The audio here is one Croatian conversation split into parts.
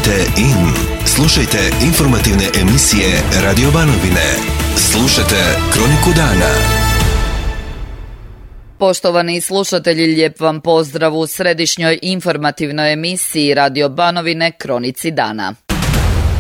Tunite in. Slušajte informativne emisije Radio Banovine. Slušajte Kroniku dana. Poštovani slušatelji, lijep vam pozdrav u središnjoj informativnoj emisiji Radio Banovine Kronici dana.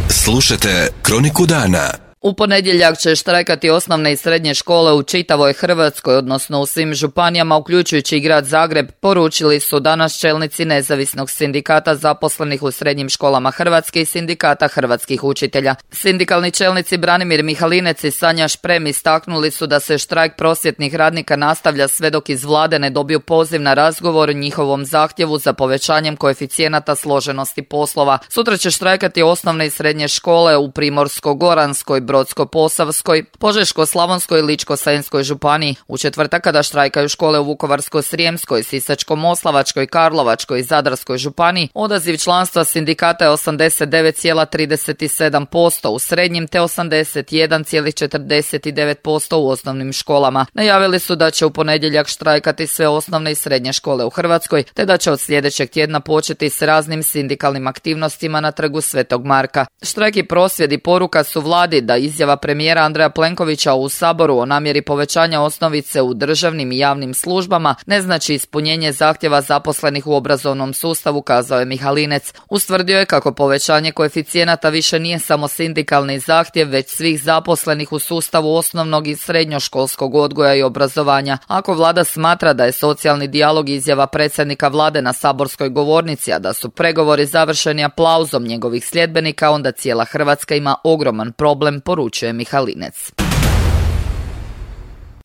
Slušajte Kroniku dana. U ponedjeljak će štrajkati osnovne i srednje škole u čitavoj Hrvatskoj, odnosno u svim županijama, uključujući i grad Zagreb, poručili su danas čelnici Nezavisnog sindikata zaposlenih u srednjim školama Hrvatske i Sindikata hrvatskih učitelja. Sindikalni čelnici Branimir Mihalinec i Sanja Šprem istaknuli su da se štrajk prosvjetnih radnika nastavlja sve dok iz vlade ne dobiju poziv na razgovor o njihovom zahtjevu za povećanjem koeficijenata složenosti poslova. Sutra će štrajkati osnovne i srednje škole u Primorsko-goranskoj, Brodsko-posavskoj, Požeško-slavonskoj i Ličko-senjskoj županiji. U četvrtak, kada štrajkaju škole u Vukovarsko-srijemskoj, Sisačko-moslavačkoj, Karlovačkoj i Zadarskoj županiji, odaziv članstva sindikata je 89,37% u srednjim te 81,49% u osnovnim školama. Najavili su da će u ponedjeljak štrajkati sve osnovne i srednje škole u Hrvatskoj, te da će od sljedećeg tjedna početi s raznim sindikalnim aktivnostima na trgu Svetog Marka. Štrajk i prosvjedi poruka su vladi da izjava premijera Andreja Plenkovića u Saboru o namjeri povećanja osnovice u državnim i javnim službama ne znači ispunjenje zahtjeva zaposlenih u obrazovnom sustavu, kazao je Mihalinec. Ustvrdio je kako povećanje koeficijenata više nije samo sindikalni zahtjev, već svih zaposlenih u sustavu osnovnog i srednjoškolskog odgoja i obrazovanja. Ako vlada smatra da je socijalni dijalog izjava predsjednika vlade na saborskoj govornici, a da su pregovori završeni aplauzom njegovih sljedbenika, onda cijela Hrvatska ima ogroman problem, poručuje Mihalinec.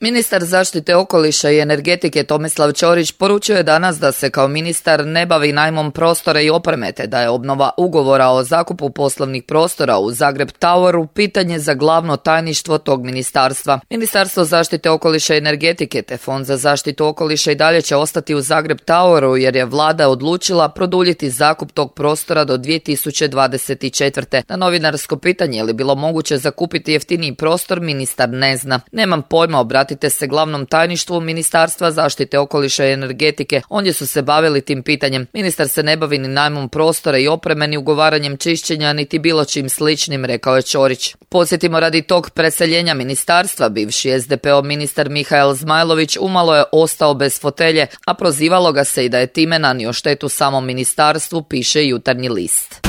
Ministar zaštite okoliša i energetike Tomislav Ćorić poručio je danas da se kao ministar ne bavi najmom prostora i opreme, te da je obnova ugovora o zakupu poslovnih prostora u Zagreb Toweru pitanje za glavno tajništvo tog ministarstva. Ministarstvo zaštite okoliša i energetike te Fond za zaštitu okoliša i dalje će ostati u Zagreb Toweru jer je vlada odlučila produljiti zakup tog prostora do 2024. Na novinarsko pitanje je li bilo moguće zakupiti jeftiniji prostor, ministar ne zna. Nemam pojma, obratite se glavnom tajništvu Ministarstva zaštite okoliša i energetike. Ondje su se bavili tim pitanjem. Ministar se ne bavi ni najmom prostora i opreme, ni ugovaranjem čišćenja, niti bilo čim sličnim, rekao je Ćorić. Podsjetimo, radi tog preseljenja ministarstva, bivši SDP-ov ministar Mihael Zmajlović umalo je ostao bez fotelje, a prozivalo ga se i da je time nanio štetu samom ministarstvu, piše Jutarnji list.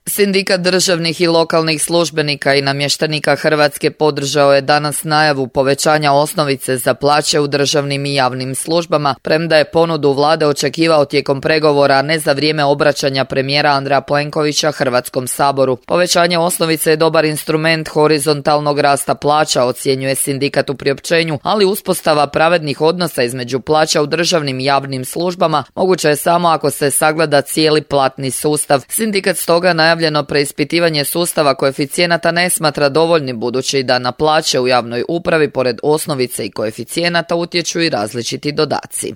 Sindikat državnih i lokalnih službenika i namještenika Hrvatske podržao je danas najavu povećanja osnovice za plaće u državnim i javnim službama, premda je ponudu vlade očekivao tijekom pregovora, a ne za vrijeme obraćanja premijera Andreja Plenkovića Hrvatskom saboru. Povećanje osnovice je dobar instrument horizontalnog rasta plaća, ocjenjuje sindikat u priopćenju, ali uspostava pravednih odnosa između plaća u državnim i javnim službama moguće je samo ako se sagleda cijeli platni sustav. Sindikat stoga najavljeno preispitivanje sustava koeficijenata ne smatra dovoljnim, budući da na plaće u javnoj upravi pored osnovice i koeficijenata utječu i različiti dodaci.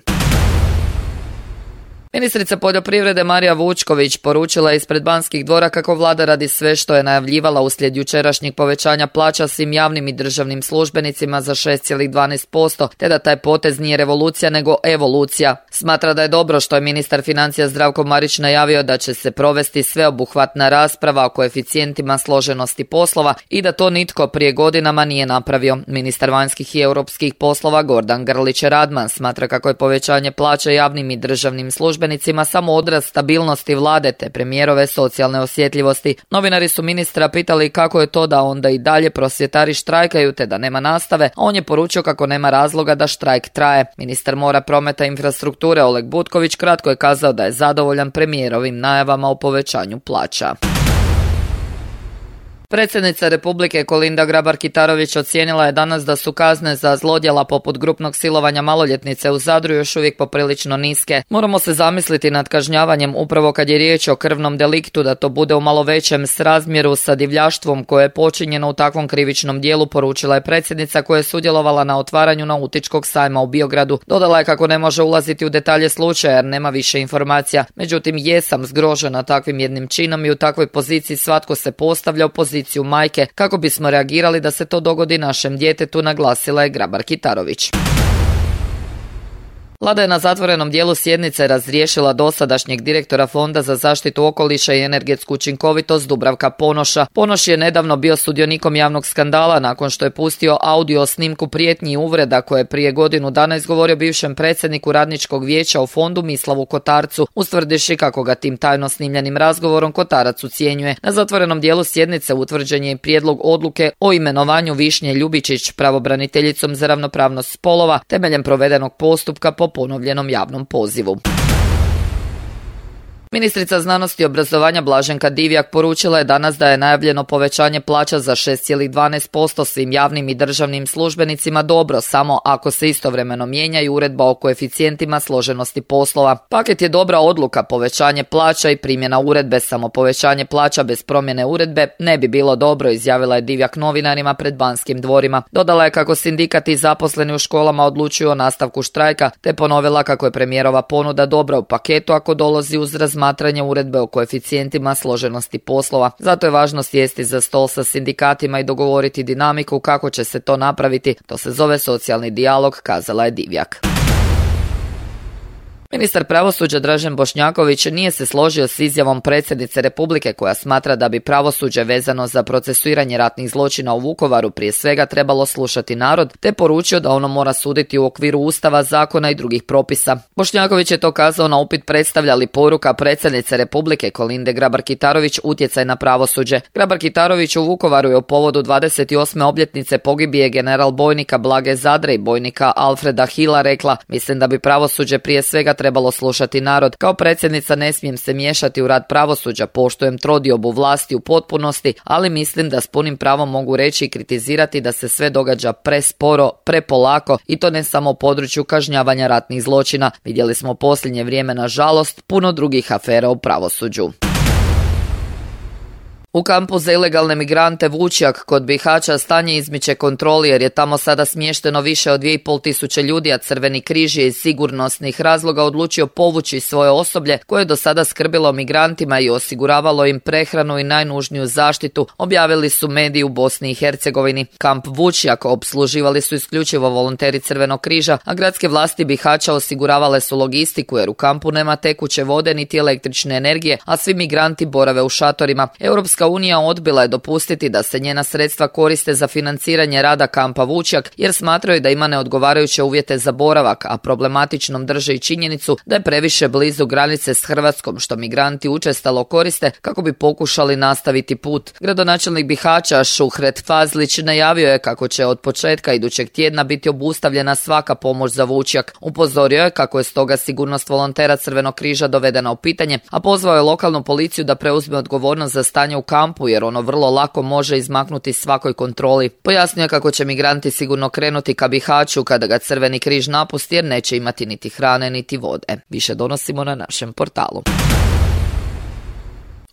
Ministrica poljoprivrede Marija Vučković poručila je ispred Banskih dvora kako vlada radi sve što je najavljivala uslijed jučerašnjeg povećanja plaća svim javnim i državnim službenicima za 6,12%, te da taj potez nije revolucija nego evolucija. Smatra da je dobro što je ministar financija Zdravko Marić najavio da će se provesti sveobuhvatna rasprava o koeficijentima složenosti poslova i da to nitko prije godinama nije napravio. Ministar vanjskih i europskih poslova Gordan Grlić Radman smatra kako je povećanje plaća javnim i državnim službenicima samo odraz stabilnosti vlade te premijerove socijalne osjetljivosti. Novinari su ministra pitali kako je to da onda i dalje prosvjetari štrajkaju te da nema nastave, a on je poručio kako nema razloga da štrajk traje. Ministar mora, prometa i infrastrukture Oleg Butković kratko je kazao da je zadovoljan premijerovim najavama o povećanju plaća. Predsjednica Republike Kolinda Grabar-Kitarović ocijenila je danas da su kazne za zlodjela poput grupnog silovanja maloljetnice u Zadru još uvijek poprilično niske. Moramo se zamisliti nad kažnjavanjem upravo kad je riječ o krvnom deliktu, da to bude u malo većem srazmjeru sa divljaštvom koje je počinjeno u takvom krivičnom dijelu, poručila je predsjednica koja je sudjelovala na otvaranju nautičkog sajma u Biogradu. Dodala je kako ne može ulaziti u detalje slučaja jer nema više informacija. Međutim, jesam zgrožena takvim jednim činom i u takvoj poziciji svatko se postavlja u poziciju majke kako bismo reagirali da se to dogodi našem djetetu, naglasila je Grabar-Kitarović. Vlada je na zatvorenom dijelu sjednice razriješila dosadašnjeg direktora Fonda za zaštitu okoliša i energetsku učinkovitost Dubravka Ponoša. Ponoš je nedavno bio sudionikom javnog skandala nakon što je pustio audio snimku prijetnji i uvreda koje je prije godinu dana izgovorio bivšem predsjedniku radničkog vijeća u fondu Mislavu Kotarcu, ustvrdivši kako ga tim tajno snimljenim razgovorom Kotarac ucijenjuje. Na zatvorenom dijelu sjednice utvrđen je i prijedlog odluke o imenovanju Višnje Ljubičić pravobraniteljicom za ravnopravnost spolova temeljem provedenog postupka po ponovljenom javnom pozivu. Ministrica znanosti i obrazovanja Blaženka Divjak poručila je danas da je najavljeno povećanje plaća za 6,12% svim javnim i državnim službenicima dobro, samo ako se istovremeno mijenja i uredba o koeficijentima složenosti poslova. Paket je dobra odluka, povećanje plaća i primjena uredbe, samo povećanje plaća bez promjene uredbe ne bi bilo dobro, izjavila je Divjak novinarima pred Banskim dvorima. Dodala je kako sindikati i zaposleni u školama odlučuju o nastavku štrajka, te ponovila kako je premijerova ponuda dobra u paketu ako dolazi uz razmatranje uredbe o koeficijentima složenosti poslova. Zato je važno sjesti za stol sa sindikatima i dogovoriti dinamiku kako će se to napraviti. To se zove socijalni dijalog, kazala je Divjak. Ministar pravosuđa Dražen Bošnjaković nije se složio s izjavom predsjednice Republike koja smatra da bi pravosuđe vezano za procesuiranje ratnih zločina u Vukovaru prije svega trebalo slušati narod, te poručio da ono mora suditi u okviru Ustava, zakona i drugih propisa. Bošnjaković je to kazao na upit predstavlja li poruka predsjednice Republike Kolinde Grabar-Kitarović utjecaj na pravosuđe. Grabar-Kitarović u Vukovaru je u povodu 28. obljetnice pogibije general bojnika Blage Zadre i bojnika Alfreda Hila rekla: mislim da bi pravosuđe prije svega trebalo slušati narod. Kao predsjednica ne smijem se miješati u rad pravosuđa, poštujem trodiobu vlasti u potpunosti, ali mislim da s punim pravom mogu reći i kritizirati da se sve događa presporo, prepolako i to ne samo u području kažnjavanja ratnih zločina. Vidjeli smo u posljednje vrijeme, nažalost, puno drugih afera u pravosuđu. U kampu za ilegalne migrante Vučjak kod Bihaća stanje izmiče kontroli jer je tamo sada smješteno više od 2.500 ljudi, a Crveni križ je iz sigurnosnih razloga odlučio povući svoje osoblje koje je do sada skrbilo o migrantima i osiguravalo im prehranu i najnužniju zaštitu, objavili su mediji u Bosni i Hercegovini. Kamp Vučjak opsluživali su isključivo volonteri Crvenog križa, a gradske vlasti Bihaća osiguravale su logistiku jer u kampu nema tekuće vode niti električne energije, a svi migranti borave u šatorima. Europska unija odbila je dopustiti da se njena sredstva koriste za financiranje rada kampa Vučjak jer smatraju da ima neodgovarajuće uvjete za boravak, a problematičnom drže i činjenicu da je previše blizu granice s Hrvatskom što migranti učestalo koriste kako bi pokušali nastaviti put. Gradonačelnik Bihaća Šuhret Fazlić najavio je kako će od početka idućeg tjedna biti obustavljena svaka pomoć za Vučjak. Upozorio je kako je stoga sigurnost volontera Crvenog križa dovedena u pitanje, a pozvao je lokalnu policiju da preuzme odgovornost za stanje u kampu jer ono vrlo lako može izmaknuti svakoj kontroli. Pojasnio je kako će migranti sigurno krenuti ka Bihaću kada ga Crveni križ napusti jer neće imati niti hrane niti vode. Više donosimo na našem portalu.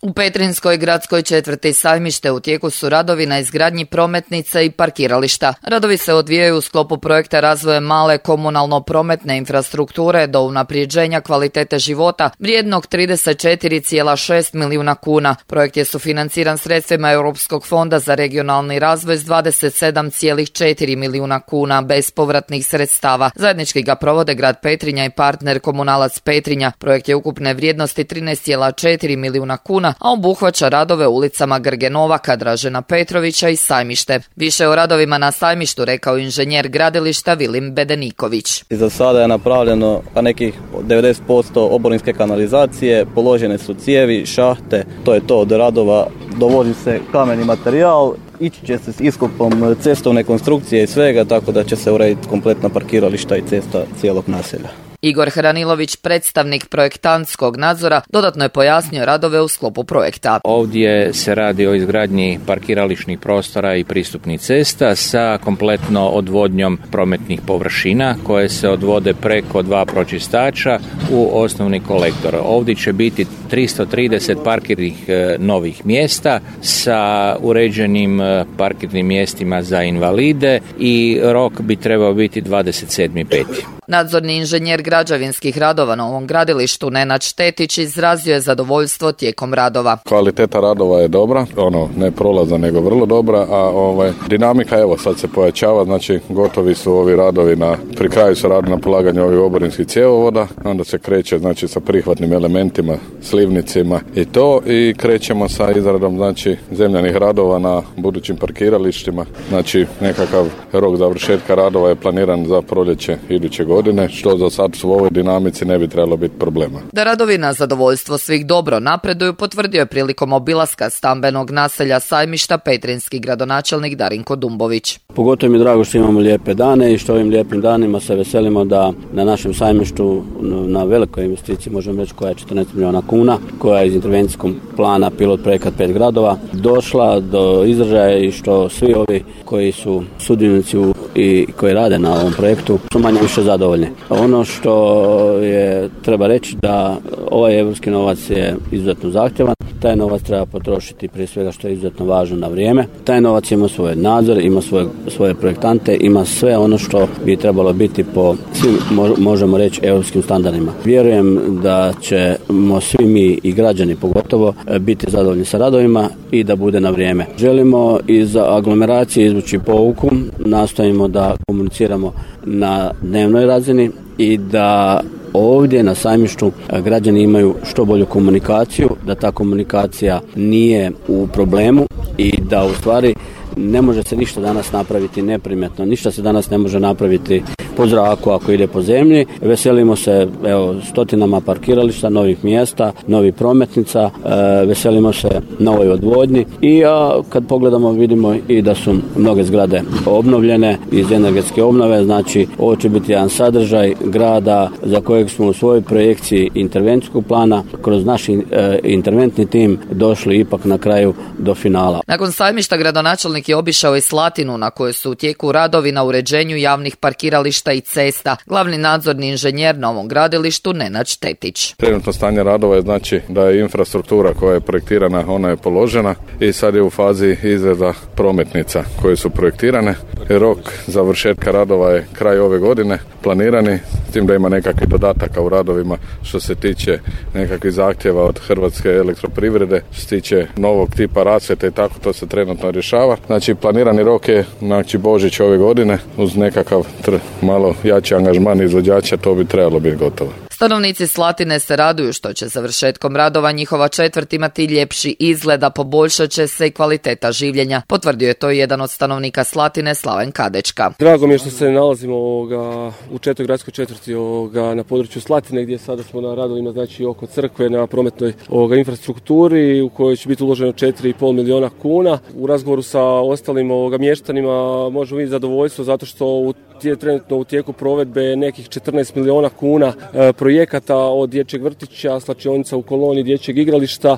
U Petrinjskoj gradskoj četvrti Sajmište u tijeku su radovi na izgradnji prometnica i parkirališta. Radovi se odvijaju u sklopu projekta razvoja male komunalno-prometne infrastrukture do unaprijeđenja kvalitete života vrijednog 34,6 milijuna kuna. Projekt je sufinanciran sredstvima Europskog fonda za regionalni razvoj s 27,4 milijuna kuna bespovratnih sredstava. Zajednički ga provode grad Petrinja i partner Komunalac Petrinja. Projekt je ukupne vrijednosti 13,4 milijuna kuna, a obuhvaća radove ulicama Grge Novaka, Dražena Petrovića i Sajmište. Više o radovima na Sajmištu rekao inženjer gradilišta Vilim Bedeniković. Za sada je napravljeno nekih 90% oborinske kanalizacije, položene su cijevi, šahte, to je to od radova, dovozi se kameni materijal, ići će se s iskopom cestovne konstrukcije i svega, tako da će se urediti kompletna parkirališta i cesta cijelog naselja. Igor Hranilović, predstavnik projektantskog nadzora, dodatno je pojasnio radove u sklopu projekta. Ovdje se radi o izgradnji parkirališnih prostora i pristupnih cesta sa kompletno odvodnjom prometnih površina koje se odvode preko 2 pročistača u osnovni kolektor. Ovdje će biti 330 parkirnih novih mjesta sa uređenim parkirnim mjestima za invalide i rok bi trebao biti 27.5. Nadzorni inženjer građevinskih radova na ovom gradilištu Nenad Štetić izrazio je zadovoljstvo tijekom radova. Kvaliteta radova je dobra, ne prolazna nego vrlo dobra, a dinamika evo sad se pojačava, znači gotovi su ovi radovi pri kraju se radi na polaganju ovih oborinskih cjevovoda, onda se kreće znači sa prihvatnim elementima, slivnicima i krećemo sa izradom znači zemljanih radova na budućim parkiralištima, znači nekakav rok završetka radova je planiran za proljeće iduće godine, što za sad u ovoj dinamici ne bi trebalo biti problema. Da radovi na zadovoljstvo svih dobro napreduju potvrdio je prilikom obilaska stambenog naselja Sajmišta petrinjski gradonačelnik Darinko Dumbović. Pogotovo mi je drago što imamo lijepe dane i što ovim lijepim danima se veselimo da na našem Sajmištu na velikoj investiciji, možemo reći koja je 14 milijuna kuna, koja je iz intervencijskog plana pilot projekat 5 gradova, došla do izražaja i što svi ovi koji su sudionici i koji rade na ovom projektu su manje više zadovoljni. Ono što treba reći da ovaj evropski novac je izuzetno zahtjevan. Taj novac treba potrošiti prije svega što je izuzetno važno na vrijeme. Taj novac ima svoj nadzor, ima svoje projektante, ima sve ono što bi trebalo biti po svim, možemo reći, europskim standardima. Vjerujem da ćemo svi mi i građani pogotovo biti zadovoljni sa radovima i da bude na vrijeme. Želimo iz aglomeracije izvući pouku, nastojimo da komuniciramo na dnevnoj razini i da ovdje na Sajmištu građani imaju što bolju komunikaciju, da ta komunikacija nije u problemu i da u stvari ne može se ništa danas napraviti neprimjetno, ništa se danas ne može napraviti po zraku ako ide po zemlji. Veselimo se stotinama parkirališta, novih mjesta, novih prometnica, veselimo se novoj odvodnji i kad pogledamo vidimo i da su mnoge zgrade obnovljene iz energetske obnove, znači ovo će biti jedan sadržaj grada za kojeg smo u svojoj projekciji intervencijskog plana kroz naš interventni tim došli ipak na kraju do finala. Nakon Sajmišta gradonačelnik je obišao i Slatinu na kojoj su u tijeku radovi na uređenju javnih parkirališta i cesta. Glavni nadzorni inženjer na ovom gradilištu Nenad Štetić. Trenutno stanje radova je znači da je infrastruktura koja je projektirana, ona je položena i sad je u fazi izrada prometnica koje su projektirane. Rok završetka radova je kraj ove godine planirani, s tim da ima nekakvih dodataka u radovima što se tiče nekakvih zahtjeva od Hrvatske elektroprivrede, što se tiče novog tipa rasvjete i tako, to se trenutno rješava. Znači planirani rok je Božić ove godine uz nekakav malo jači angažman izvođača, to bi trebalo biti gotovo. Stanovnici Slatine se raduju što će završetkom radova njihova četvrt imati ljepši izgled, a poboljšat će se i kvaliteta življenja. Potvrdio je to jedan od stanovnika Slatine, Slaven Kadečka. Drago mi je što se nalazimo u četvrtoj gradskoj četvrti na području Slatine, gdje sada smo na radovima znači oko crkve na prometnoj infrastrukturi u kojoj će biti uloženo 4,5 milijuna kuna. U razgovoru sa ostalim mještanima možemo vidjeti zadovoljstvo zato što trenutno u tijeku provedbe nekih 14 milijuna kuna projekata od dječjeg vrtića, slačionica u koloni, dječjeg igrališta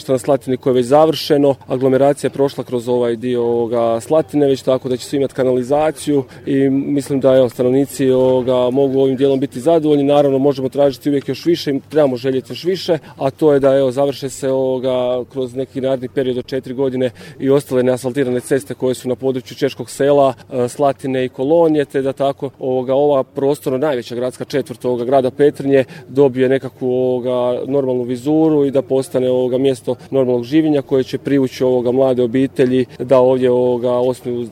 na Slatini koje je već završeno. Aglomeracija je prošla kroz ovaj dio Slatine već, tako da će svi imati kanalizaciju i mislim da stanovnici mogu ovim dijelom biti zadovoljni. Naravno možemo tražiti uvijek još više i trebamo željeti još više, a to je da završe se kroz neki naredni period od 4 godine i ostale neasfaltirane ceste koje su na području Češkog sela, Slatine i Kolonije, te da tako ova prostorno najveća gradska četvrt grada Petrinje dobije nekakvu normalnu vizuru i da postane mjesto normalnog življenja koje će privući mlade obitelji da ovdje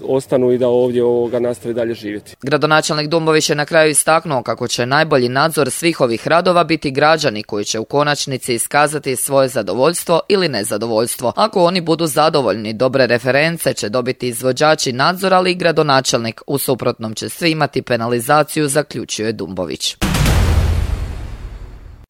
ostanu i da ovdje nastavi dalje živjeti. Gradonačelnik Dumbović je na kraju istaknuo kako će najbolji nadzor svih ovih radova biti građani koji će u konačnici iskazati svoje zadovoljstvo ili nezadovoljstvo. Ako oni budu zadovoljni, dobre reference će dobiti izvođači nadzora, ali i gradonačelnik. U suprotnom će svi imati penalizaciju, zaključuje Dumbović.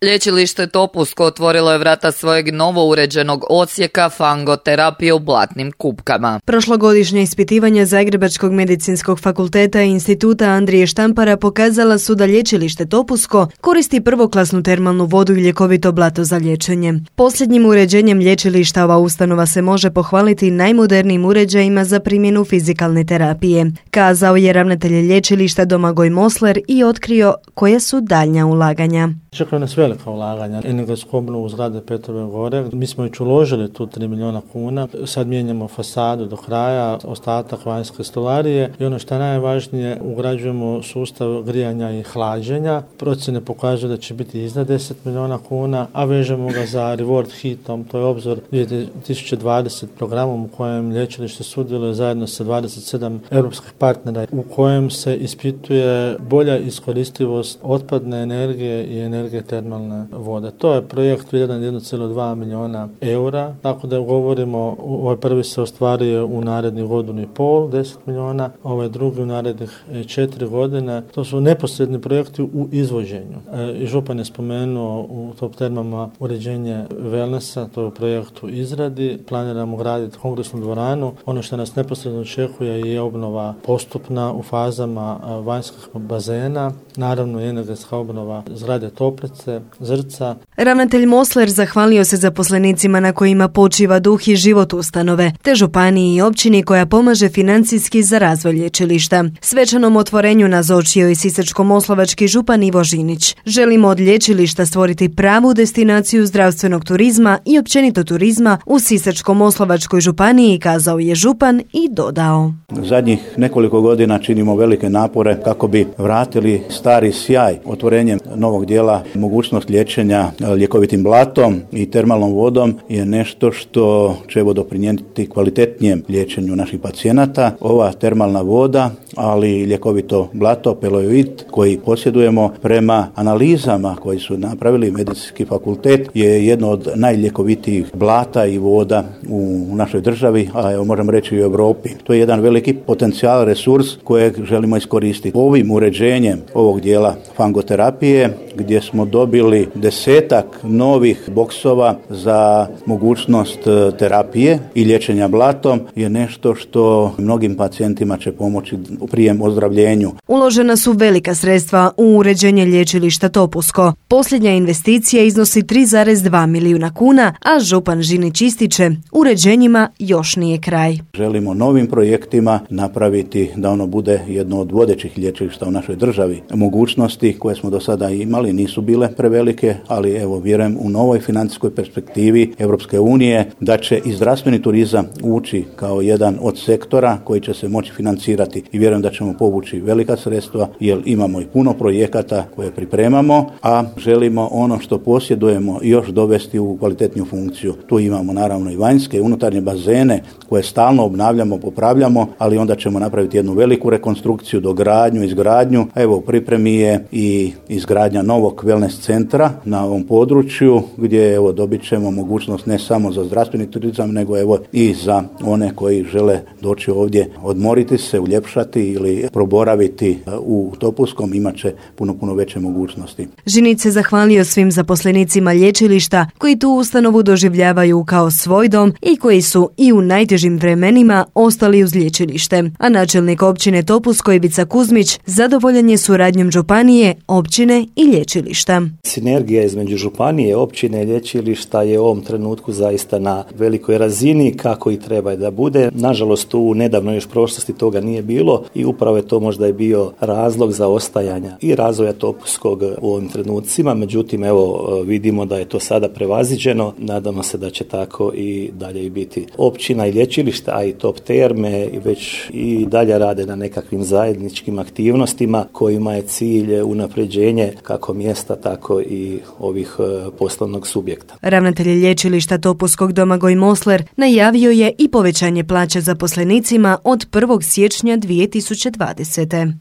Lječilište Topusko otvorilo je vrata svojeg novo uređenog odsjeka fangoterapije u Blatnim Kupkama. Prošlogodišnje ispitivanja Zagrebačkog medicinskog fakulteta i instituta Andrije Štampara pokazala su da lječilište Topusko koristi prvoklasnu termalnu vodu i ljekovito blato za liječenje. Posljednjim uređenjem lječilišta ova ustanova se može pohvaliti najmodernijim uređajima za primjenu fizikalne terapije, kazao je ravnatelj lječilišta Domagoj Mosler i otkrio koja su daljnja ulaganja. Čekaju nas velike velika ulaganja. Energetsku obnovu zgrade Petrove gore. Mi smo već uložili tu 3 milijuna kuna. Sad mijenjamo fasadu do kraja, ostatak vanjske stolarije i ono što je najvažnije, ugrađujemo sustav grijanja i hlađenja. Procjene pokazuju da će biti iznad 10 milijuna kuna, a vežemo ga za Reward hitom, to je obzor 2020 programom u kojem lječilište sudjeluje zajedno sa 27 europskih partnera, u kojem se ispituje bolja iskoristivost otpadne energije i energije termalne vode. To je projekt vrijedan 1,2 milijuna eura, tako da govorimo, ovaj prvi se ostvario u narednih godinu i pol, 10 milijuna, ovaj drugi u narednih 4 godine. To su neposredni projekti u izvođenju. I župan je spomenuo u top termama uređenje wellnessa, to je u projektu izradi. Planiramo graditi kongresnu dvoranu. Ono što nas neposredno očekuje je obnova postupna u fazama vanjskih bazena, naravno i energetska obnova zgrade Toplice, Zrca. Ravnatelj Mosler zahvalio se zaposlenicima na kojima počiva duh i život ustanove, te županiji i općini koja pomaže financijski za razvoj lječilišta. Svečanom otvorenju nazočio i sisačko-moslavački župan Ivo Žinić. Želimo od lječilišta stvoriti pravu destinaciju zdravstvenog turizma i općenito turizma u Sisačko-moslavačkoj županiji, kazao je župan i dodao. Zadnjih nekoliko godina činimo velike napore kako bi vratili stari sjaj. Otvorenjem novog dijela mogućnost liječenja ljekovitim blatom i termalnom vodom je nešto što će doprinijeti kvalitetnijem liječenju naših pacijenata. Ova termalna voda, ali i ljekovito blato, peloid, koji posjedujemo prema analizama koji su napravili medicinski fakultet, je jedno od najljekovitijih blata i voda u našoj državi, a evo možemo reći i u Europi. To je jedan veliki potencijal, resurs kojeg želimo iskoristiti. Ovim uređenjem ovog dijela fangoterapije, gdje smo dobili 10 novih boksova za mogućnost terapije i liječenja blatom, je nešto što mnogim pacijentima će pomoći u prijem ozdravljenju. Uložena su velika sredstva u uređenje lječilišta Topusko. Posljednja investicija iznosi 3,2 milijuna kuna, a župan Žinić ističe, uređenjima još nije kraj. Želimo novim projektima napraviti da ono bude jedno od vodećih lječilišta u našoj državi. Mogućnosti koje smo do sada imali nisu bile prevelike, ali evo vjerujem u novoj financijskoj perspektivi Europske unije da će i zdravstveni turizam ući kao jedan od sektora koji će se moći financirati i vjerujem da ćemo povući velika sredstva jer imamo i puno projekata koje pripremamo, a želimo ono što posjedujemo još dovesti u kvalitetniju funkciju. Tu imamo naravno i vanjske i unutarnje bazene koje stalno obnavljamo, popravljamo, ali onda ćemo napraviti jednu veliku rekonstrukciju, dogradnju, izgradnju. Evo u pripremi je i izgradnja novog wellness centra na ovom području gdje evo dobit ćemo mogućnost ne samo za zdravstveni turizam nego evo i za one koji žele doći ovdje odmoriti se, uljepšati ili proboraviti u Topuskom, imat će puno veće mogućnosti. Žinić se zahvalio svim zaposlenicima lječilišta koji tu ustanovu doživljavaju kao svoj dom i koji su i u najtežim vremenima ostali uz lječilište. A načelnik općine Topusko Ivica Kuzmić zadovoljan je suradnjom županije, općine i lječilišta. Sinergija između županije, općine i lječilišta je u ovom trenutku zaista na velikoj razini kako i treba da bude. Nažalost, u nedavnoj još prošlosti toga nije bilo i upravo je to možda i bio razlog za ostajanja i razvoja Topuskog u ovim trenucima. Međutim, evo vidimo da je to sada prevaziđeno. Nadamo se da će tako i dalje i biti. Općina i lječilišta, a i top terme već i dalje rade na nekakvim zajedničkim aktivnostima kojima je cilj unapređenje kako mjesta, tako i ovih poslovnog subjekta. Ravnatelj lječilišta Topuskog Domagoj Mosler najavio je i povećanje plaća zaposlenicima od 1. siječnja 2020.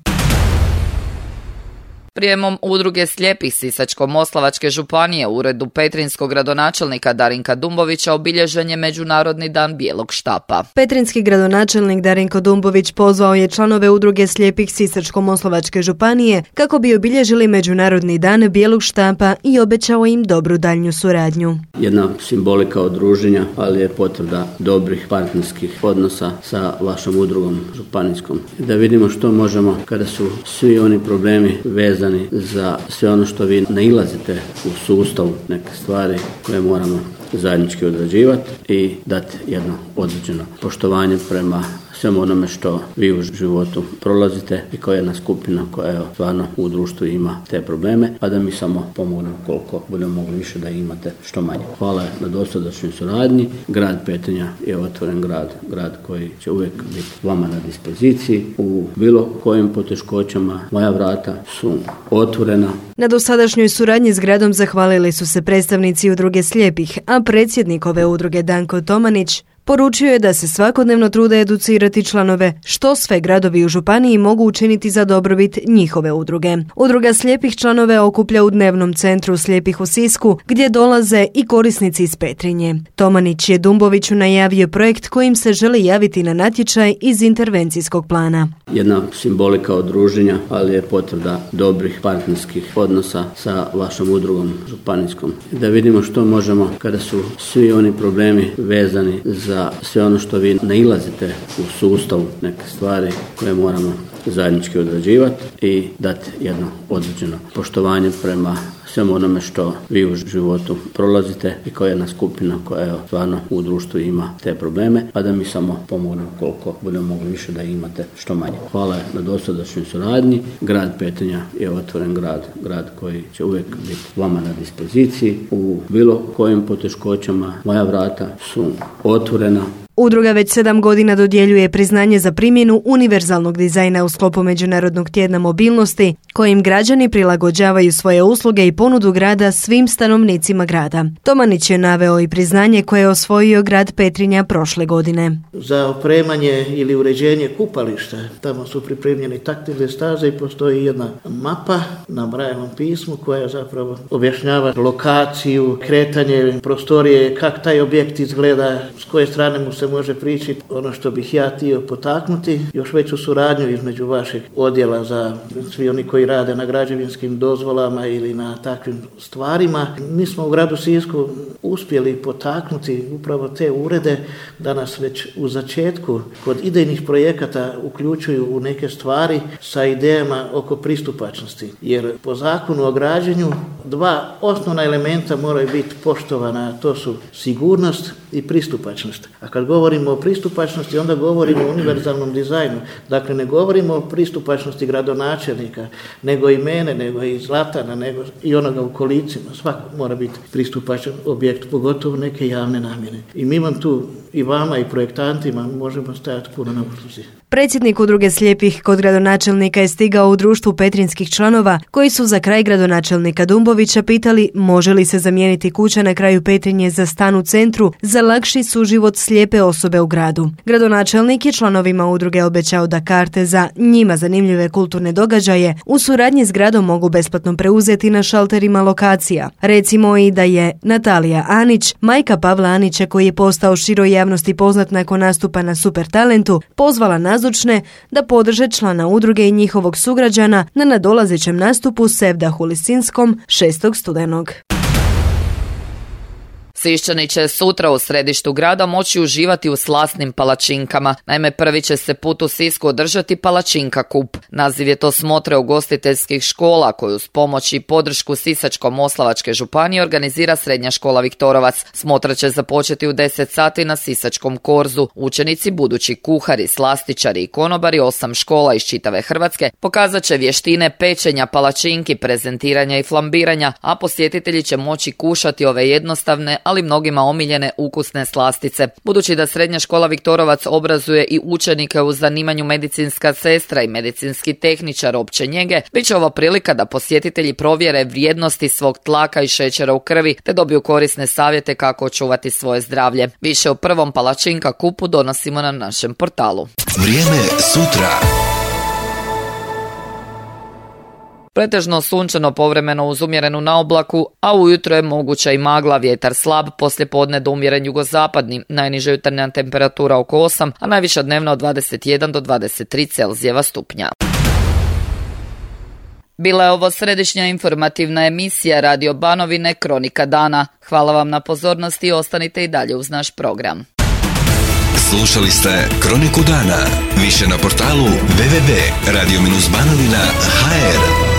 Prijemom udruge slijepih Sisačko-moslavačke županije u uredu petrinskog gradonačelnika Darinka Dumbovića obilježen je Međunarodni dan bijelog štapa. Petrinski gradonačelnik Darinko Dumbović pozvao je članove udruge slijepih Sisačko-moslavačke županije kako bi obilježili Međunarodni dan bijelog štapa i obećao im dobru daljnju suradnju. Jedna simbolika udruženja, ali je potvrda dobrih partnerskih odnosa sa vašom udrugom županijskom. Da vidimo što možemo kada su svi oni problemi vezani za sve ono što vi nailazite u sustavu, neke stvari koje moramo zajednički odrađivati i dati jedno određeno poštovanje prema svemu onome što vi u životu prolazite i koja je jedna skupina koja stvarno u društvu ima te probleme, a da mi samo pomognemo koliko budemo mogli više da imate što manje. Hvala na dosadašnjoj suradnji. Grad Petrinja je otvoren grad koji će uvijek biti vama na dispoziciji u bilo kojim poteškoćama. Moja vrata su otvorena. Na dosadašnjoj suradnji s gradom zahvalili su se predstavnici udruge slijepih, a predsjednik ove udruge Danko Tomanić poručio je da se svakodnevno trude educirati članove što sve gradovi u županiji mogu učiniti za dobrobit njihove udruge. Udruga slijepih članove okuplja u dnevnom centru slijepih u Sisku, gdje dolaze i korisnici iz Petrinje. Tomanić je Dumboviću najavio projekt kojim se želi javiti na natječaj iz intervencijskog plana. Jedna simbolika udruženja, ali je potvrda dobrih partnerskih odnosa sa vašom udrugom županijskom. Da vidimo što možemo kada su svi oni problemi vezani za sve ono što vi nailazite u sustavu, neke stvari koje moramo zajednički odrađivati i dati jedno određeno poštovanje prema svemu onome što vi u životu prolazite i koja je jedna skupina koja stvarno u društvu ima te probleme, a da mi samo pomognemo koliko budemo mogli više da imate što manje. Hvala na dosadašnjoj suradnji. Grad Petrinja je otvoren grad koji će uvijek biti vama na dispoziciji u bilo kojim poteškoćama. Moja vrata su otvorena. Udruga već 7 godina dodjeljuje priznanje za primjenu univerzalnog dizajna u sklopu Međunarodnog tjedna mobilnosti, kojim građani prilagođavaju svoje usluge i ponudu grada svim stanovnicima grada. Tomanić je naveo i priznanje koje je osvojio grad Petrinja prošle godine. Za opremanje ili uređenje kupališta, tamo su pripremljene taktilne staze i postoji jedna mapa na Brailleovom pismu koja zapravo objašnjava lokaciju, kretanje prostorije, kako taj objekt izgleda, s koje strane mu se može prići. Ono što bih ja htio potaknuti, još veću suradnju između vašeg odjela za svi oni koji rade na građevinskim dozvolama ili na takvim stvarima. Mi smo u gradu Sisku uspjeli potaknuti upravo te urede da nas već u začetku kod idejnih projekata uključuju u neke stvari sa idejama oko pristupačnosti. Jer po zakonu o građenju 2 osnovna elementa moraju biti poštovana, a to su sigurnost i pristupačnost. A kad govorimo o pristupačnosti, onda govorimo o univerzalnom dizajnu. Dakle, ne govorimo o pristupačnosti gradonačelnika, nego i mene, nego i Zlatana, nego i onoga u kolicima. Svako mora biti pristupačan objekt, pogotovo neke javne namjene. I mi vam tu, i vama i projektantima, možemo stajati puno na usluzi. Predsjednik udruge slijepih kod gradonačelnika je stigao u društvu petrinskih članova koji su za kraj gradonačelnika Dumbovića pitali može li se zamijeniti kuća na kraju Petrinje za stan u centru za lakši suživot slijepe osobe u gradu. Gradonačelnik je članovima udruge obećao da karte za njima zanimljive kulturne događaje u suradnji s gradom mogu besplatno preuzeti na šalterima lokacija. Recimo i da je Natalija Anić, majka Pavla Anića koji je postao široj javnosti poznat nakon nastupa na Super talentu, pozvala nazočne da podrže člana udruge i njihovog sugrađana na nadolazećem nastupu Sevdahu Lisinskom 6. studenog. Siščani će sutra u središtu grada moći uživati u slasnim palačinkama. Naime, prvi će se put u Sisku održati palačinka kup. Naziv je to smotre ugostiteljskih škola koju s pomoć i podršku Sisačko-moslavačke županije organizira Srednja škola Viktorovac. Smotra će započeti u 10 sati na Sisačkom korzu. Učenici, budući kuhari, slastičari i konobari 8 škola iz čitave Hrvatske pokazat će vještine pečenja palačinki, prezentiranja i flambiranja, a posjetitelji će moći kušati ove jednostavne, ali mnogima omiljene ukusne slastice. Budući da Srednja škola Viktorovac obrazuje i učenike u zanimanju medicinska sestra i medicinski tehničar opće njege, bit će ovo prilika da posjetitelji provjere vrijednosti svog tlaka i šećera u krvi, te dobiju korisne savjete kako očuvati svoje zdravlje. Više o prvom palačinka kupu donosimo na našem portalu. Vrijeme sutra. Pretežno sunčano, povremeno uz umjerenu naoblaku, a ujutro je moguća i magla, vjetar slab, poslijepodne do umjeren jugozapadni, najniža jutarnja temperatura oko 8, a najviša dnevna od 21 do 23 Celzijeva stupnja. Bila je ovo središnja informativna emisija Radio Banovine Kronika dana. Hvala vam na pozornosti i ostanite i dalje uz naš program. Slušali ste Kroniku dana. Više na portalu www.radio-banovina.hr.